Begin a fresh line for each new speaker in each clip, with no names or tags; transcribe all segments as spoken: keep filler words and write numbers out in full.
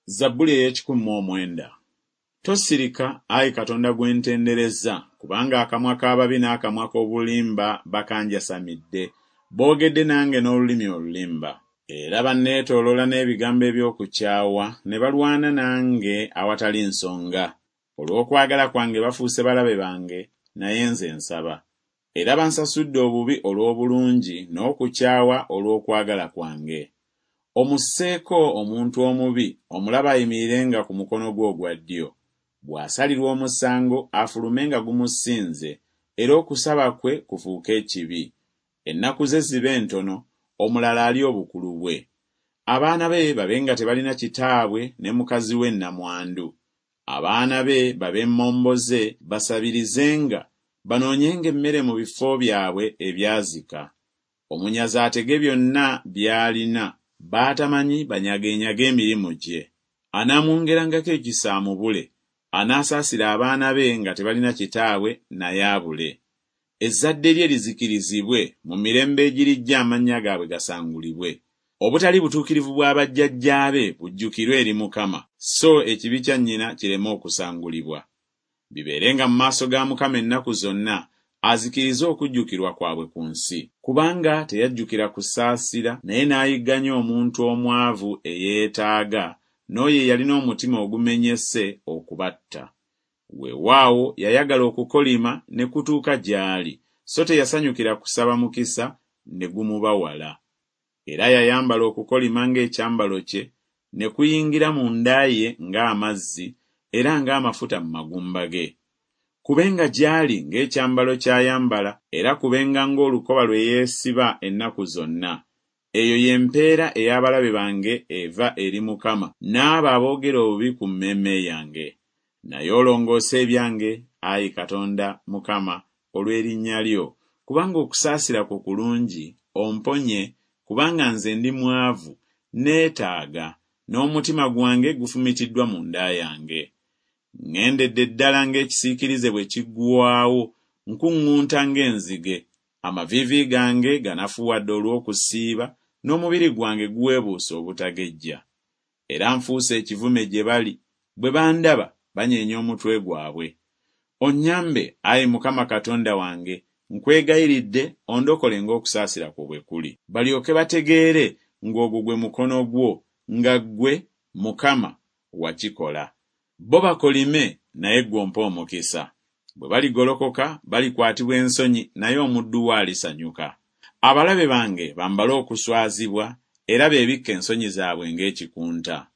Zabbuli ey'ekikumi mu omwenda. Tosirika, ayi Katonda gwe ntendereza, kubanga akamwa k'ababi n'akamwa k'obulimba bakanjasamidde, boogedde nange n'olulimi olulimba. Era banneetooloola n'ebigambo eby'okukyawa, ne balwana nange awatali nsonga. Olw'okwagala kwange bafuuse balabe bange, naye nze nsaba. Era bansasudde obubi olw'obulungi, n'okukyawa olw'okwagala kwange. Omusseeko omuntu omubi, omulabe ayimirirenga ku mukono gwe ogwa ddyo. Bw'asalirwa omusango afulume nga gumusinze, era okusaba kwe kufuuke ekibi. Ennaku ze zibe ntono, omulala alye obukulu bwe. Abaana be babe nga tebalina kitaabwe, ne mukazi we nnamwandu. Abaana be babe mmomboze, basabirizenga, banoonyenga emmere mu bifo byabwe ebyazika. Omunyazi atege byonna by'alina, b'atamanyi banyageenyage emirimu gye. Anaamwongerangako ekisa amubule, anaasaasira abaana be nga tebalina kitaabwe naye abule. Ezzadde lye lizikirizibwe, mu mirembe egirijja amannya gaabwe gasangulibwe. Obutali butuukirivu bwa bajjajjaabe bujjukirwe eri Mukama, so ekibi kya nnyina kireme okusangulibwa. Bibeerenga mu maaso ga Mukama ennaku zonna, azikirize okujjukirwa kwabwe ku nsi. Kubanga teyajjukira kusaasira, naye n'ayigganya omuntu omwavu eyeetaaga, n'oyo eyalina omutima ogumenyese okubatta. Weewaawo yayagala okukolima ne kutuuka gy'ali, so teyasanyukira kusaba mukisa ne gumuba wala. Era yayambala okukolima ng'ekyambalo kye, ne kuyingira munda ye ng'amazzi, era ng'amafuta mu magumba ge. Kubenga gy'ali ng'ekyambalo ky'ayambala, era kubenga ng'olukoba lwe yeesiba ennaku zonna. Eyo ye mpeera ey'abalabe bange eva eri Mukama, n'abo aboogera obubi ku mmeeme yange. Naye olongoose ebyange, ayi Katonda Mukama, olw'erinnya lyo, kubanga okusaasira kwo kulungi, omponye, kubanga nze ndi mwavu, neetaaga, n'omutima gwange gufumitiddwa munda yange. Ŋŋendedde ddala ng'ekisiikirize bwe kiggwaawo, nkuŋŋunta ng'enzige. Amaviivi gange ganafuwadde olw'okusiiba, n'omubiri gwange guweebuuse obutagejja. Era nfuuse ekivume gye bali, bwe bandaba banyeenya omutwe gwabwe. Onnyambe, ayi Mukama Katonda wange, nkwegayiridde ondokole ng'okusaasira kwo bwe kuli. Balyoke bategeere ng'ogwo gwe mukono gwo, nga ggwe, Mukama, wakikola. Bo bakolime, naye ggwe ompe omukisa. Bwe baligolokoka balikwatibwa ensonyi, naye omuddu wo alisanyuka. Abalabe bange bambale okuswazibwa, era beebikke ensonyi zaabwe ng'ekikunta.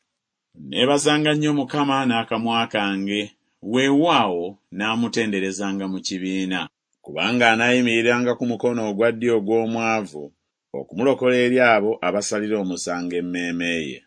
Neebazanga nnyo Mukama n'akamwa kange, weewaawo naamutenderezanga mu kibiina. Kubanga anaayimiriranga ku mukono ogwa ddyo ogw'omwavu, okumulokola eri abo abasalira omusango emmeeme ye.